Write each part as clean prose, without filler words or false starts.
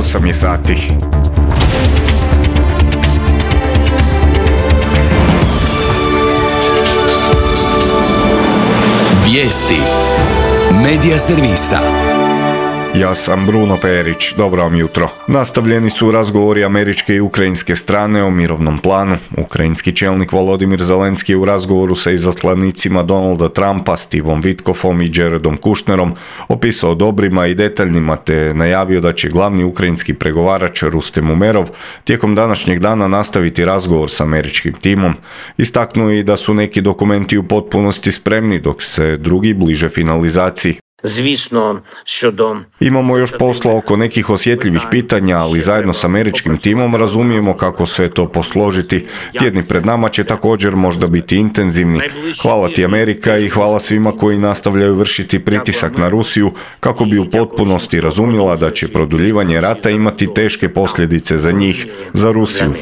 8 je sati. Vijesti Medija servisa. Ja sam Bruno Perić, dobro vam jutro. Nastavljeni su razgovori američke i ukrajinske strane o mirovnom planu. Ukrajinski čelnik Volodimir Zelenski je u razgovoru sa izaslanicima Donalda Trumpa, Stevom Witkoffom i Jaredom Kushnerom opisao dobrima i detaljnima te najavio da će glavni ukrajinski pregovarač Rustem Umerov tijekom današnjeg dana nastaviti razgovor s američkim timom. Istaknuo je i da su neki dokumenti u potpunosti spremni dok se drugi bliže finalizaciji. Imamo još posla oko nekih osjetljivih pitanja, ali zajedno s američkim timom razumijemo kako sve to posložiti. Tjedni pred nama će također možda biti intenzivni. Hvala ti Amerika i hvala svima koji nastavljaju vršiti pritisak na Rusiju kako bi u potpunosti razumjela da će produljivanje rata imati teške posljedice za njih, za Rusiju.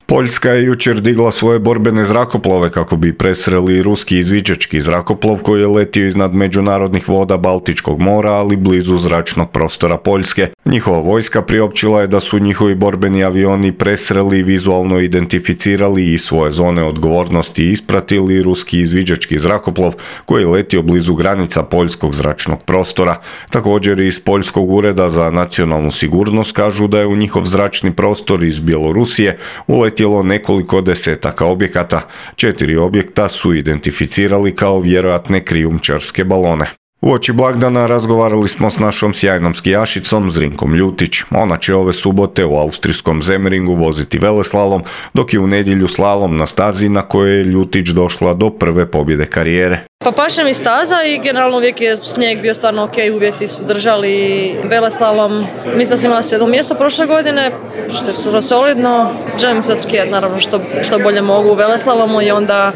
Poljska je jučer digla svoje borbene zrakoplove kako bi presreli ruski izviđački zrakoplov koji je letio iznad međunarodnih voda Baltičkog mora, ali blizu zračnog prostora Poljske. Njihova vojska priopćila je da su njihovi borbeni avioni presreli, vizualno identificirali i svoje zone odgovornosti ispratili ruski izviđački zrakoplov koji je letio blizu granica poljskog zračnog prostora. Također iz Poljskog ureda za nacionalnu sigurnost kažu da je u njihov zračni prostor iz Bjelorusije uletilo nekoliko desetaka objekata. 4 objekta su identificirali kao vjerojatne krijumčarske balone. Uoči blagdana razgovarali smo s našom sjajnom skijašicom Zrinkom Ljutić. Ona će ove subote u austrijskom Semmeringu voziti veleslalom, dok je u nedjelju slalom na stazi na kojoj je Ljutić došla do prve pobjede karijere. Pa paše mi staza i generalno uvijek je snijeg bio stvarno ok, uvjeti su držali. Veleslalom, mislim da sam imala 7 mjesta prošle godine, što je skoro solidno. Želim se odskijati naravno što bolje mogu u veleslalomu i onda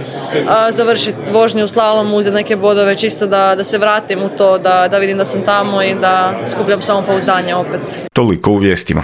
završiti vožnju u slalomu, uzeti neke bodove čisto da se vratim u to, da vidim da sam tamo i da skupljam samopouzdanje opet. Toliko u vijestima.